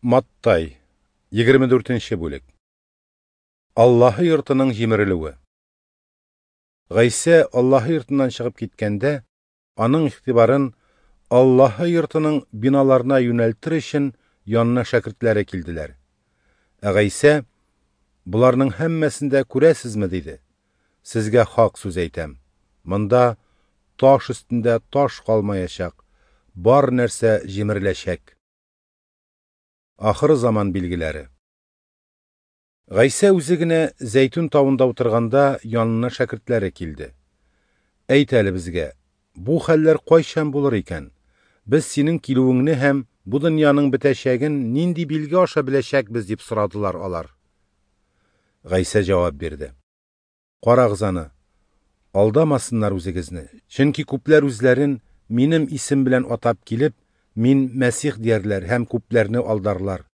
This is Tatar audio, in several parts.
Маттай, 24 нче бүлек. Аллаһы йортының җимерелүе. Гайсә Аллаһы йортыннан чыгып киткәндә, аның игътибарын Аллаһы йортының биналарына юнәлтер өчен янына шәкертләре килделәр. Ә Гайсә: Боларның һәммәсен дә күрәсезме? диде. Сезгә хак сүз әйтәм: монда таш өстендә таш калмаячак, бар нәрсә җимереләчәк. Ахыр заман билгеләре. Гайсә үзе генә Зәйтүн тавында утырганда, янына шәкертләре килде. Әйт әле безгә, бу хәлләр кайчан булыр икән? Без синең килүеңне һәм бу дөньяның бетәчәген нинди билге аша беләчәкбез, дип сорадылар алар. Гайсә җавап бирде. Карагыз аны, алдамасыннар үзегезне, чөнки күпләр үзләрен минем исем белән атап килеп, мин Мәсих диярләр һәм күпләрне алдарлар.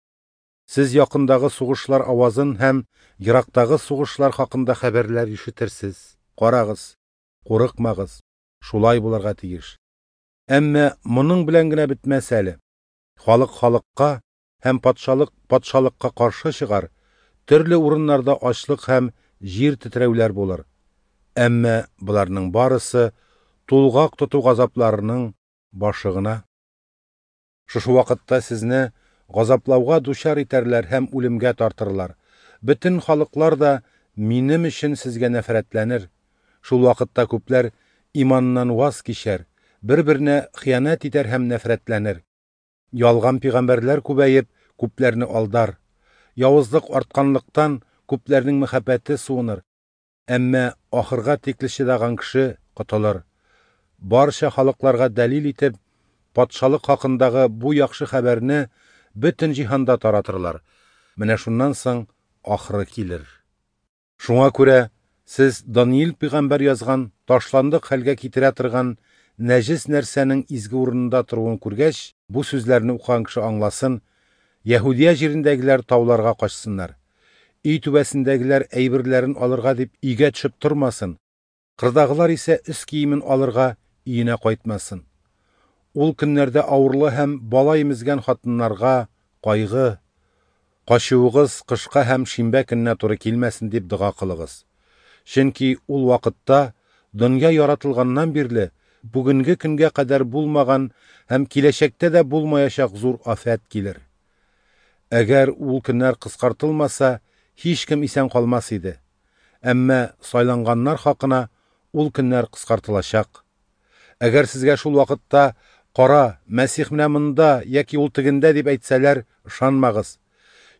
Сез якындагы сугышлар авазын һәм ерактагы сугышлар хакында хәбәрләр ишетерсез. Карагыз, курыкмагыз, шулай булырга тиеш. Әмма моның белән генә бетмәс әле. Халык халыкка һәм патшалык патшалыкка каршы чыгар, төрле урыннарда ачлык һәм җир тетрәүләр булыр. Әмма боларның барысы тулгак тоту газапларының башы гына. Шушы вакытта сезне газаплауга дучар итәрләр һәм үлемгә тартырлар. Бөтен халыклар да минем өчен сезгә нәфрәтләнер. Шул вакытта күпләр иманнан ваз кичәр, бер-беренә хыянәт итәр һәм нәфрәтләнер. Ялган пигамбәрләр күбәеп, күпләрне алдар. Явызлык артканлыктан, күпләрнең мәхәббәте суыныр. Әмма ахырга тикле чыдаган кеше котылыр. Барча халыкларга дәлил итеп, патшалык хакындагы бу яхшы хәбәрне бөтен җиһанда таратырлар. Менә шуннан соң ахыры килер. Шуңа күрә сез Даниил пәйгамбәр язган ташландык хәлгә китерә торган нәҗес нәрсәнең изге урынында торуын күргәч, бу сүзләрне укыган кеше аңласын, Яһүдия җирендәгеләр тауларга качсыннар. Өй түбәсендәгеләр әйберләрен алырга дип өйгә төшеп тормасын. Кырдагылар исә өс киемен алырга өенә кайтмасын. Ул көннәрдә авырлы һәм бала имезгән хатыннарга кайгы, качуыгыз кышка һәм шимбә көненә туры килмәсен дип дога кылыгыз. Чөнки ул вакытта дөнья яратылганнан бирле бүгенге көнгә кадәр булмаган һәм киләчәктә дә булмаячак зур афәт килер. Әгәр ул көннәр кыскартылмаса, һичкем исән калмас иде. Әмма сайланганнар хакына ул көннәр кыскартылачак. Әгәр сезгә шул вакытта кара, Мәсих менә монда яки ул тегендә дип әйтсәләр, ышанмагыз.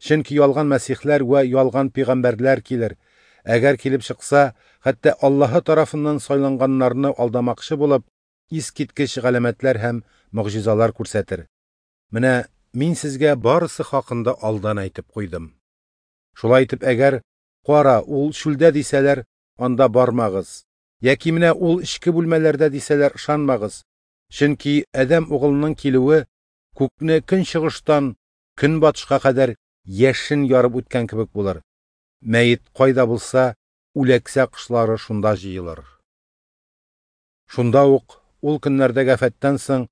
Чөнки ялган мәсихләр вә ялган пәйгамбәрләр килер. Әгәр килеп чыкса, хәтта Аллаһы тарафыннан сайланганнарны алдамакчы булып, искиткеч галәмәтләр һәм могҗизалар күрсәтер. Менә мин сезгә барысы хакында алдан әйтеп куйдым. Шулай итеп, әгәр кара, ул чүлдә дисәләр, анда бармагыз. Яки менә ул эчке бүлмәләрдә дисәләр, ышанмагыз. Чөнки Адәм угылының килүе күкне көнчыгыштан көнбатышка кадәр яшен ярып үткән кебек булыр. Мәет кайда булса, үләксә кошлары шунда җыелыр. Шунда ук ул көннәрдәге афәттән соң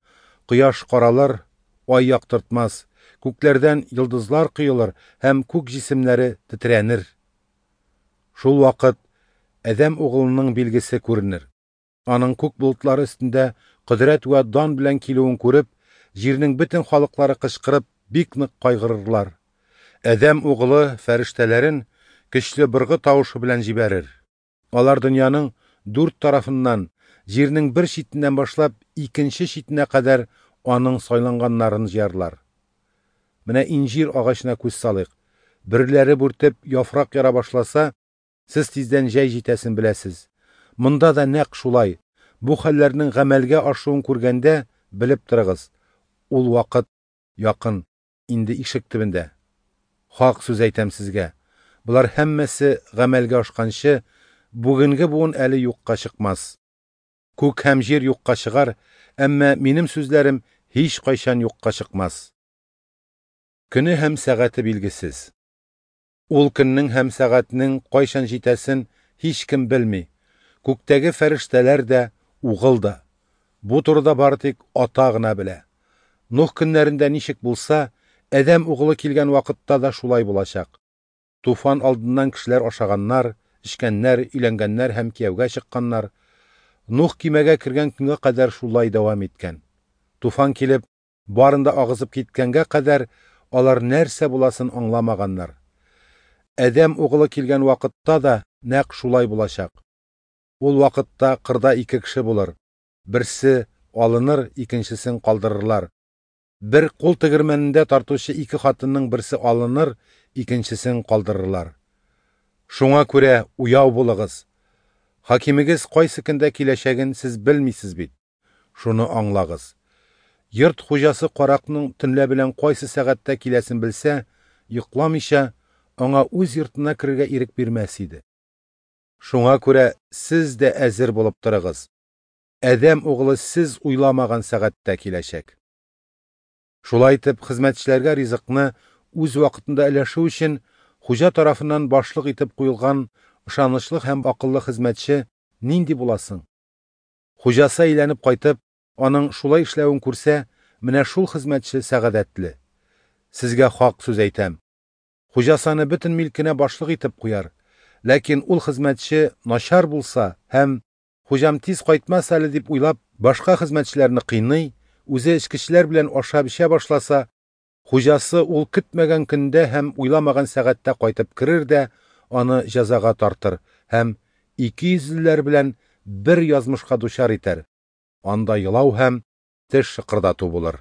кояш каралыр, ай яктыртмас, күкләрдән йолдызлар коелыр һәм күк җисемнәре тетрәнер. Шул вакыт Адәм угылының билгесе күренер. Аның күк болытлары өстендә кодрәт вә дан белән килүен күреп, җирнең бөтен халыклары кычкырып, бик нык кайгырырлар. Адәм угылы фәрештәләрен көчле быргы тавышы белән җибәрер. Алар дөньяның дүрт тарафыннан, җирнең бер читеннән башлап икенче читенә кадәр аның сайланганнарын җыярлар. Менә инҗир агачына күз салыйк. Бөрләре бүртеп яфрак яра башласа, сез тиздән җәй җитәсен беләсез. Монда да нәкъ шулай. Бу хәлләрнең гамәлгә ашуын күргәндә белеп торыгыз. Ул вакыт якын, инде ишек төбендә. Хак сүз әйтәм сезгә. Болар һәммәсе гамәлгә ашканчы, бүгенге буын әле юкка чыкмас. Күк һәм җир юкка чыгар, әмма минем сүзләрем һич кайчан юкка чыкмас. Көне һәм сәгате билгесез. Ул көннең һәм сәгатьнең кайчан җитәсен һичкем белми. Күктәге фәрештәләр дә, угыл да. Бу турыда бары тик Ата гына белә. Нух көннәрендә ничек булса, Адәм угылы килгән вакытта да шулай булачак. Туфан алдыннан кешеләр ашаганнар, эчкәннәр, өйләнгәннәр һәм кияүгә чыкканнар. Нух кимәгә кергән көнгә кадәр шулай дәвам иткән. Туфан килеп, барын да агызып киткәнгә кадәр алар нәрсә буласын аңламаганнар. Адәм угылы килгән вакытта да нәкъ шулай булачак. Ул вакытта кырда ике кеше булыр. Берсе алыныр, икенчесен калдырырлар. Бер кул тегермәнендә тартучы ике хатынның берсе алыныр, икенчесен калдырырлар. Шуңа күрә уяу булыгыз. Хакимегез кайсы көндә киләчәген сез белмисез бит. Шуны аңлагыз. Йорт хуҗасы каракның төнлә белән кайсы сәгатьтә киләсен белсә, йокламыйча, аңа үз йортына керергә ирек бирмәс иде. Шуңа күрә сез дә әзер булып торыгыз. Адәм угылы сез уйламаган сәгатьтә киләчәк. Шулай итеп, хезмәтчеләргә ризыкны үз вакытында өләшү өчен хуҗа тарафыннан башлык итеп куелган ышанычлы һәм акыллы хезмәтче нинди буласың? Хуҗасы әйләнеп кайтып, аның шулай эшләвен күрсә, менә шул хезмәтче сәгадәтле. Сезгә хак сүз әйтәм. Хуҗасы аны бөтен милкенә башлык итеп куяр. Ләкин ул хезмәтче начар булса һәм хуҗам тиз кайтмас әле дип уйлап, башка хезмәтчеләрне кыйный, үзе эчкечеләр белән ашап эчә башласа, хуҗасы ул көтмәгән көндә һәм уйламаган сәгатьтә кайтып керер дә аны җәзага тартыр һәм икейөзлеләр белән бер язмышка дучар итәр. Анда елау һәм теш шыкырдату булыр.